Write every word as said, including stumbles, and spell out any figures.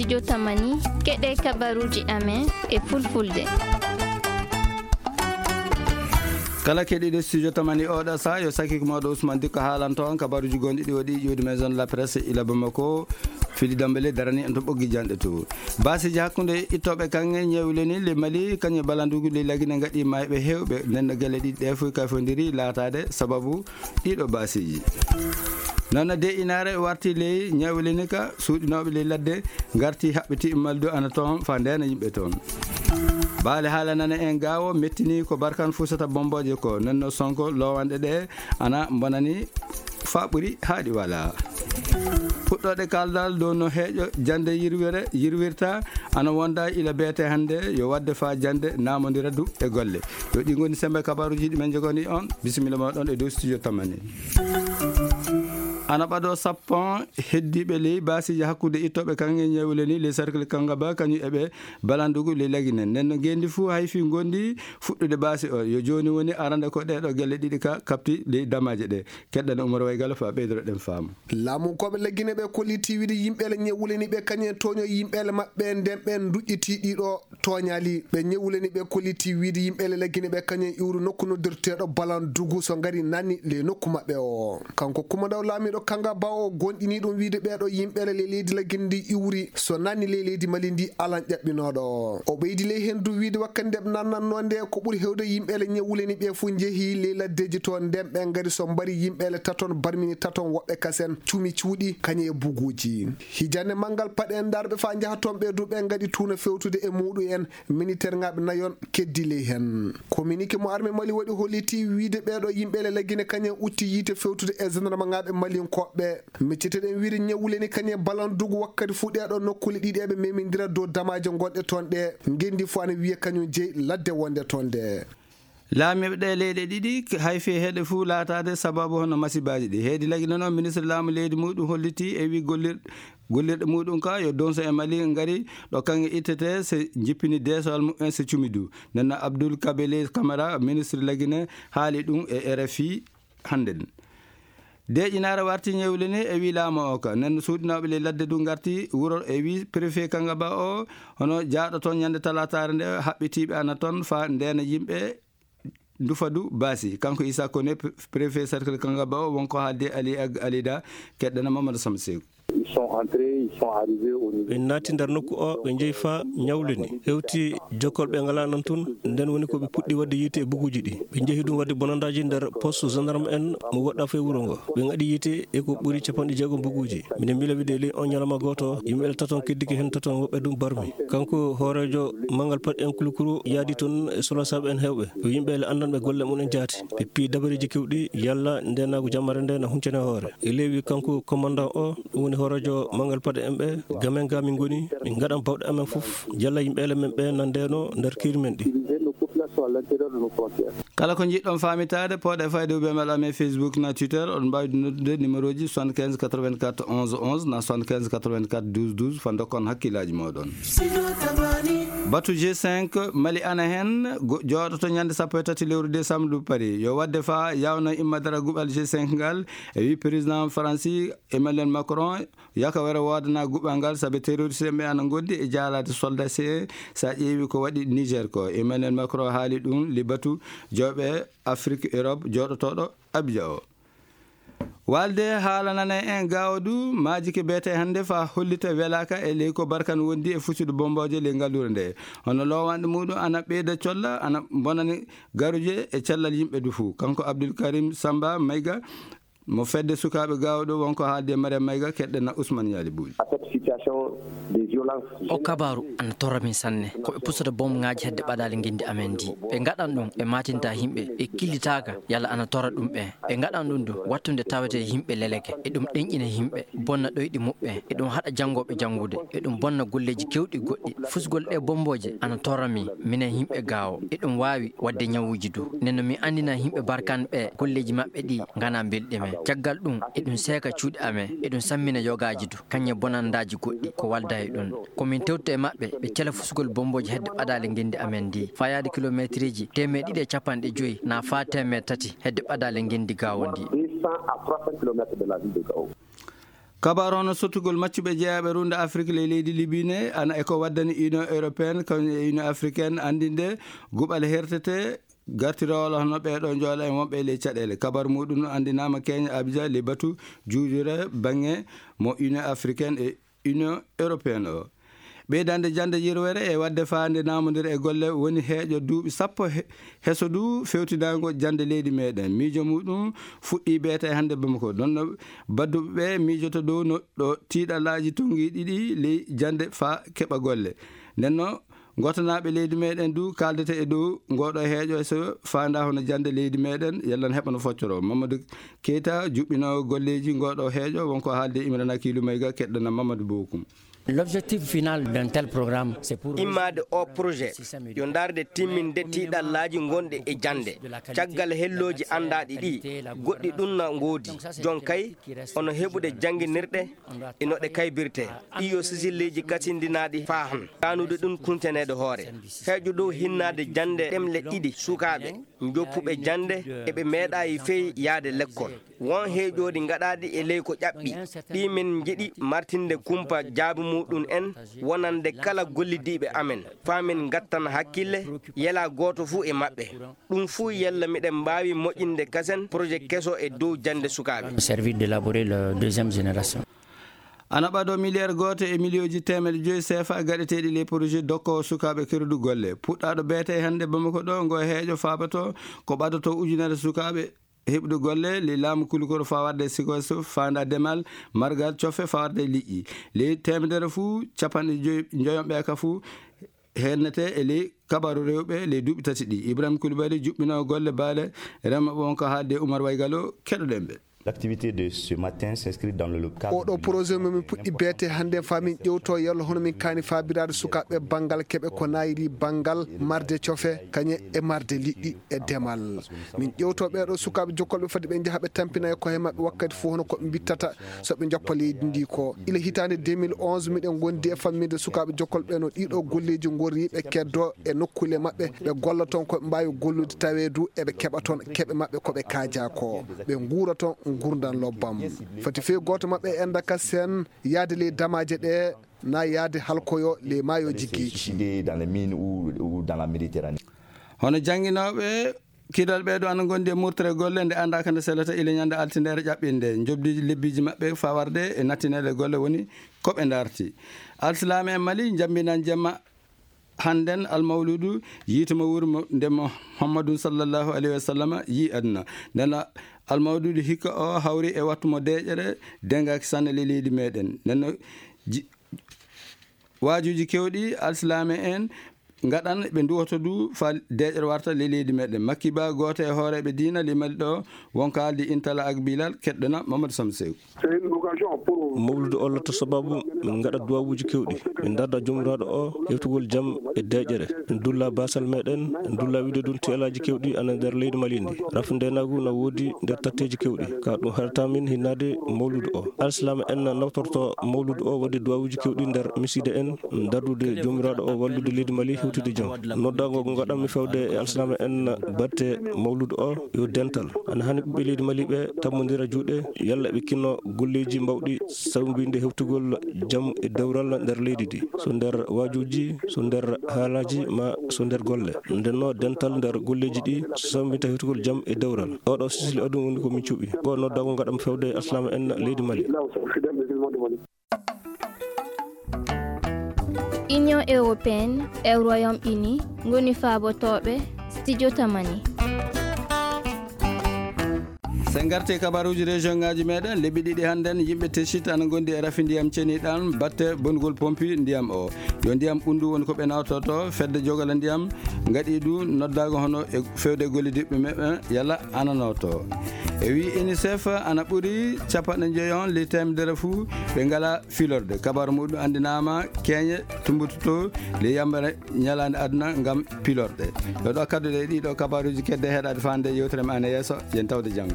Jotamani, keɗe kabaruuji amen e fulfulde. Kala keɗiiɗo studio Tamani oɗo saha, yo sakiiko mawɗo Ousmane Dikko haalanto on kabaruuji gonɗi ɗi waɗi ƴiwde Maison de la Presse ila Bamako. Fili Dambele darani en to ɓoggi janɗe to. Baasiiji hakkunde ittooɓe kaŋŋe ñewle ni le Mali, kañum e balandugu le Lagine ngaɗi mayɓe heewɓe. Nden no gelle ɗiɗi ɗe fof kafondiri laataade sababu ɗiɗo baasiiji. Noon no de inaare warti ley ñewle ni ka suuɗinooɓe ley ladde ngarti haɓɓiti maldu ana toon fa ndeena yimɓe toon. Baale haala nana en gaawo mettini ko Barkan Fusata Bombooje ko. Nden no Sonko lowanɗe ɗe ana mbonani fa ɓuri haaɗi wala. Puɗɗooɗe kaldal dow no heeƴo jannde yirwere, yirwirta, ana wonda ila beete hannde, yo waɗde fa jannde naamondira du e golle. Yo ɗi ngoni sembe kabaruuji ɗi men jogani on. Bisimilla mooɗon e dow studio Tamani. Ana ɓado sappo heddiiɓe ley baasiiji hakkunde ittooɓe kaŋŋe ñewle ni, le cercle Kangaba, kañum e ɓe balandugu ley Lagine. Nden no ngendi fuu hay fii ngondi fuɗɗude baasi o. Yo jooni woni arande ko ɗeɗo gelle ɗiɗi ka kapti ley damaaje ɗe. Keɗɗana Umar Waygala fa ɓeydoro ɗen faamu. Laamunkooɓe Lagine ɓe kolliti wiide yimɓeele ñewuleni ɓe kañum en tooño yimɓeele maɓɓe nden ɓen duƴƴiti ɗiɗo tooñaali. Ɓe ñewuleni ɓe kolliti wiide yimɓeele Lagine ɓe kañum en iwru nokku noddirteeɗo Balandugu so ngari nanni ley nokku maɓɓe o. Kanko kumandaw laamiiɗo Kangaba o gonɗini ɗum wiide ɓeeɗo yimɓeele ley leydi Lagine ndi iwri so nanni ley leydi Mali ndi alan ƴaɓɓinooɗo. O ɓeydi ley hen du wiide wakkati nde ɓe nannannoo nde ko ɓuri hewde yimɓeele ñewuleni ɓe fof njehi ley laddeeji toon nden ɓe ngari so mbari yimɓeele taton barmini taton woɓɓe kasen cumi cuuɗi kañum e buguuji. Hijande manngal paɗe en darɓe faa njaha toon ɓe du ɓe ngaɗi tuuna fewtude e muuɗum en. Miniterŋaaɓe nayon keddi ley heen. Kominike mo arme Mali waɗi holliti wiide ɓeeɗo yimɓe le Lagine kañum utti yiite fewtude e gendarmeŋaaɓe malinkooɓe. Micciteɗen wiide ñewuleni kañum Balandugu wakkati fuu ɗeeɗo nokkuuli ɗiɗi eɓe memindira dow damaaje gonɗe toon ɗe. Ngendi fuu ana wiya kañum jeyi ladde wonde toon nde. Laamiiɓe ɗee leyɗe ɗiɗi, hay fii heɗe fuu laataade sababu hono masibaaji ɗi. Heedi Lagine noon, ministre laamu leydi muɗum holliti e wii gollir-, gollirɗe muɗum ka yo donso e Mali ngari ɗo kaŋŋe ittetee se jippini deesowal mumen se cumi du. Nden no Abdoul Kabele Camara, ministre Lagine, haali ɗum e R F I hannden. Deeƴinaare warti ñewle ni e wii laamu o ka. Nden no suuɗinooɓe ley ladde du ngarti wuro e wii préfet Kangaba o, hono jaaɗo toon ñande talaataare nde haɓɓitiiɓe ana toon faa ndeena yimɓe ndufa du baasi. Kanko Issa Kone, pre-, préfet cercle Kangaba o, wonko haaldi Ali Ag Alida, keɗɗana Mamadou Samba Seeku. Ils sont entrés, ils sont arrivés au niveau. Ɓe naati nder nokku o, ɓe njehi faa ñawlini. Hewti jokkolɓe ngalaa nan tun, nden woni ko ɓe puɗɗi waɗde yiite e buguuji ɗi. Ɓe njehi ɗum waɗde bonandaaji nder poste gendarme en mo woɗɗaa fee wuro ngo. Ɓe ngaɗi yiite e ko ɓuri capanɗe jeegom buguuji. Minen mbila wiide ley on ñalawma gooto, yimɓe taton keddike heen taton woɓɓe ɗum barmi. Kanko hooreejo manngal paɗe en Kulukuru yaadi toon e solosaaɓe en heewɓe. Ko yimɓe le anndanɓe golle mum en jaati. Ɓe piyi dabareeji kewɗi, yalla ndeenaagu jammare nde na huncane hoore. E leewi kanko commandant o, ɗum woni hooreejo manngal paɗe en ɓe, gamen ga min ngoni, min ngaɗan bawɗe amen fof, yalla yimɓe le men ɓe na ndeeno nder kiiri men ɗi. Kala ko njiɗɗon faamitaade, pooɗe fayde ou bien mbaɗa amen Facebook na Twitter, oɗon mbaawi noddude numéro ji soixante-quinze quatre-vingt-quatre onze onze na soixante-quinze quatre-vingt-quatre douze douze, fa ndokkon hakkillaaji mooɗon. Batu G cinq, Mali ana heen, go-, jooɗoto ñande sappo e tati lewru décembre ɗo Paris. Yo waɗde faa yawno immadara guɓal G cinq ngal, e wi président Faransi Emmanuel Macron, yaka wara woodana guɓal ngal, sabe terroriste ɓe ana ngondi e jaalaade soldat C E, sa ƴeewi ko waɗi Niger ko. Emmanuel Macron haali ɗum le batu jooɓe Afrique Europe jooɗotooɗo Abidjan o. Walde haala nana en gaawo du, maaji ke beete hannde fa hollita welaaka e ley ko Barkan wondi e fusude bombooje ley ngalluure nde. Hono loowanɗe muɗum ana ɓeyda colla, ana bonani garuje e cellal yimɓe du fuu. Kanko Abdul Karim Samba Mayga, mo fedde sukaaɓe gaawo ɗo, wonko haalde Mariam Mayga, keɗɗena Ousmane Yali Buuli. À cette situation de violence O kabaaru ana torra min sanne. Ko ɓe pusata bomŋaaji hedde ɓadaali ngenndi amen ndi. Ɓe ngaɗan ɗum, ɓe maatinta yimɓe, ɓe killitaaka, yalla ana torra ɗum ɓe. Ɓe ngaɗan ɗum du, wattunde tawete yimɓe leleke. E ɗum ɗenƴina yimɓe, bonna ɗoyɗi muɓɓen. E ɗum haɗa janngooɓe janngude. E ɗum bonna golleeji keewɗi goɗɗi. Fusgol ɗee bommbooje ana torra min, minen yimɓe gaawo. E ɗum waawi waɗde ñawuuji du. Nden no mi anndina yimɓe Barkan ɓe, golleeji maɓɓe ɗi nganaa mbelɗi men. Caggal ɗum, e ɗum seeka cuuɗi amen. E ɗum sammina yogaaji du. Kañum e bonandaaji goɗɗi ko walda e ɗum. Ko min tewta e maɓɓe, ɓe cela fusgol bommbooji hedde ɓadaali ngenndi amen ndi, faa yaade kilomeetirji teemeɗɗe ɗiɗi e capanɗe joyi naa faa teemeɗɗe tati hedde ɓadaali ngenndi Gaawo ndi. Deux cents à trois cents kilomètres de la ville de Gao. Kabaru hono sottugol maccuɓe jeyaaɓe ruunde Afrik ley leydi Libi ne, ana e ko waddani Union Européenne, kañum e Union Africaine anndinde guɓal hertete gartiroola hono ɓeeɗo njoola e wonɓe ley caɗeele. Kabaru muɗum anndinaama Kenya Abuja ley batu juujure baŋŋe mo Union Africaine e Union Européenne o. Ɓeydande jannde yirwere e waɗde faande naamondire e golle woni heeƴo duuɓi sappo he-, heso du fewtinaango jannde leydi meɗen. Miijo muɗum fuɗɗi beete hannde Bamako. Ɗon no badduɓe ɓe miijoto dow no ɗo tiiɗalaaji tonngiiɗi ɗi ley jannde faa keɓa golle. Nden no, ngotanaaɓe leydi meɗen du kaaldete e dow ngoɗo heeƴo so faanda hono jannde leydi meɗen, yalla no heɓa no foccoro. Mamadou Keita, juɓɓinoowo golleeji ngoɗo heeƴo, wonko haalde Imrana Kilu Mayga, keɗɗana Mamadou Bokum. L'objectif final d'un tel programme, c'est pour immaade o projet, yo ndaarde timminde tiiɗallaaji gonɗi e jannde. Caggal hellooji anndaaɗi ɗi, goɗɗi ɗum na ngoodi. Jon kay, ono heɓude jannginirɗe, e no ɗe kaybirte. Ɗi yo sisilleeji kasindinaaɗi faa han. Ɗaanude ɗum kunteneede hoore. Heeƴo dow hinnaade jannde ɗemle ɗiɗi sukaaɓe njoppuɓe jannde, eɓe meeɗaayi fey yaade lekkol. Won heeƴooɗi ngaɗaaɗi e ley ko ƴaɓɓi, ɗi min njiɗi martinde kumpa jaabi muɗum en, wonande kala gollidiiɓe amen, faa min ngattan hakkille, yela gooto fuu e maɓɓe. Ɗum fuu yalla miɗen mbaawi moƴƴinde kasen projet keso e dow jannde sukaaɓe. Servir d'élaborer la deuxième génération. Ana ɓado miliyeer gooto e miliyooji teemedde joyi seefa gaɗeteeɗi ley projet dokkoowo sukaaɓe kerdu golle. Puɗɗaaɗo beete hannde Bamako ɗo, ngo heeƴo faabato ko ɓadoto ujunere sukaaɓe heɓude golle ley laamu kulukoro faa warde sikoso, faanda demal, margal, cofe faa warde liƴƴi. Ley teemedere fuu, capanɗe joyi, njoyon ɓe ka fuu hennete e ley kabaru rewɓe ley duuɓi tati ɗi. Ibrahim Koulibaly, juɓɓinoowo golle baale, rema wonko haalde Oumar Waygalo, keɗoɗen ɓe. L'activité de ce matin s'inscrit dans le cadre. Oɗo projet mo min puɗɗi beete hannde faa min ƴewto yalla hono min kaani faabiraade sukaaɓe banngal keɓe ko naayiri banngal marde cofe, kañe e marde liƴƴi e demal. Min ƴewto ɓeeɗo sukaaɓe jokkolɓe fadi ɓe njaha ɓe tampina e koye maɓɓe wakkati fof hono ko ɓe mbittata so ɓe njoppa leydi ndi ko. Ila hitaande deux mille onze miɗen ngondi e famminde sukaaɓe jokkolɓe no ɗiɗo golleeji ngorri ɓe keddo e nokkuule maɓɓe, ɓe golla toon ko ɓe mbaawi gollude tawee du eɓe keɓa toon keɓe maɓɓe ko ɓe kaaja ko. Ɓe nguura toon ngurndan lobbam. Fati fey gooto maɓɓe enda kasen yaade ley damaaje ɗe na yaade halkoyo ley maayooji geeci. Dans les mines ou, ou dans la Méditerranée. Hono jannginooɓe kidal ɓeeɗo ana ngondi e murtere golle nde anndaaka nde selata ila ñande altindere ƴaɓɓinde. Njobdi lebbiiji maɓɓe faa warde e nattineede golle woni ko ɓe ndarti. Alsilaame en Mali njambinan jemma hannden almawludu yiite mo wuuri mo nde Muhammadun sallallahu alayhi wa sallam yii aduna. Nden almawludu hikka o hawri e wattu mo deeƴere dengaaki sanne ley leydi meɗen. Nden no ji-, waajuuji kewɗi alsilaame en ngaɗan ɓe nduwoto du faa deeƴere warta ley leydi meɗen. Makki Ba, gooto e hooreeɓe diina ley Mali ɗo, wonko haaldi Intala ak Bilal, keɗɗana Mamadou Samb Sew. Mawludu o latta sababu min ngaɗa duwawuuji kewɗi, min ndarda Joomiraaɗo o hewtugol jam e deeƴere. Min dulla baasal meɗen, min dulla wiide ɗum tiyalaaji kewɗi ana nder leydi Mali ndi. Rafu ndeenaagu na woodi nder tatteeji kewɗi. Ka ɗum haɗata min hinnaade mawludu o. Alsilaama en nawtorto mawludu o waɗde duwawuuji kewɗi nder misiide en, dardude Joomiraaɗo o wallude leydi Mali hewtude jam. Noddaango ngo ngaɗanmi fewde e alsilaama en batte mawludu o yo dental. Ana hani ɓiɓɓe leydi Mali ɓe tammondira juuɗe, yalla ɓe kinno golleeji mbawɗi sawmbinde hewtugol jam e dewral nder leydi ndi. So nder waajuuji, so nder haalaaji, ma so nder golle. Ndenno dental nder golleeji ɗi sawmbinta hewtugol jam e dewral. Oɗo sisili adun woni ko min cuɓi. Ko noddaango ngaɗanmi fewde alsilaama en leydi Mali. Union européenne e Royaume-Uni ngoni faabotooɓe Studio Tamani. Sen ngarti e kabaruuji région ngaaji meɗen, lebbi ɗiɗi hannden, yimɓe Teshit ana ngondi e rafi ndiyam ceniɗam batte bonnugol pompi ndiyam o. Yo ndiyam ɓunndu woni ko ɓe nawtoto, fedde jogala ndiyam ngaɗi du noddaago hono e fewde gollidiiɓe maɓɓe yalla ana nawto. E wi UNICEF ana ɓuri capanɗe njoyon ley teemedere fuu ɓe ngala filorde. Kabaru muɗum anndinaama keeñe tumbutoto ley yambere ñalaande aduna ngam pilorɗe. Ɗo ɗo kadduɗe e ɗiɗo kabaruuji kedde heɗaade faande yewtere men ana yeeso, yen tawde janngo.